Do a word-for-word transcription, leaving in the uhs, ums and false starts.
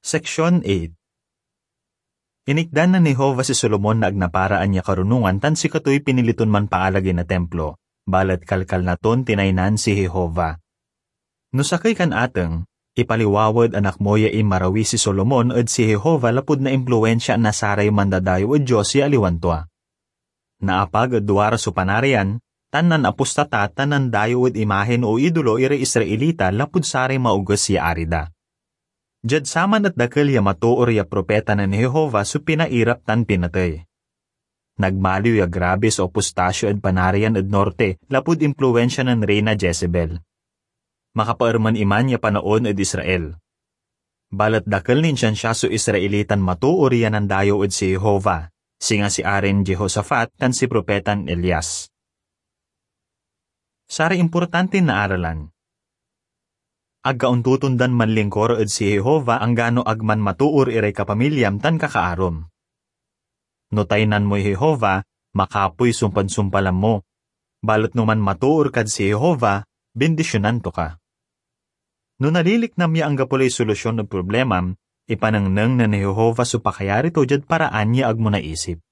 Section eight. Inikdan nen Jehovah si Solomon na ag naparaan ya karunongan tan sikatoy pinili ton manpaalagey na Timplo, balet kalkalna ton tinaynan si Jehovah. No sakey kan ateng, ipaliwawa ed anak mo ya inmarawi si Solomon ed si Jehovah lapud naimpluensiaan na saray mandadayew ed dios ya aliwan tua. Naapag ed duara so Panarian, tan nanapostata tan nandayew ed imahen o idolo iray Israelita lapud saray maoges ya ari da. Diad saman et dakel ya matoor ya propeta nen Jehovah so pinairap tan pinatey. Nagmaliw ya grabe so apostasyo ed Panarian ed norte lapud impluensia nen Reyna Jezebel. Makapaermen iman ya panaon ed Israel. Balet dakel nin siansia so Israelitan matoor ya nandayew ed si Jehovah, singa si Arin Jehoshafat tan si Propetan Elias. Saray importantin naaralan. Ag ka ontotondan manlingkor ed si Jehovah anggano ag man matoor iray kapamilyam tan kakaarom. No taynan moy Jehovah, makapoy sumpad-sumpalan mo. Balet no manmatoor kad si Jehovah, bindisionan to ka. No naliliknam ya anggapo lay solusyon ed problemam, ipanengneng nen Jehovah so pakayari to diad paraan ya ag mo naisip.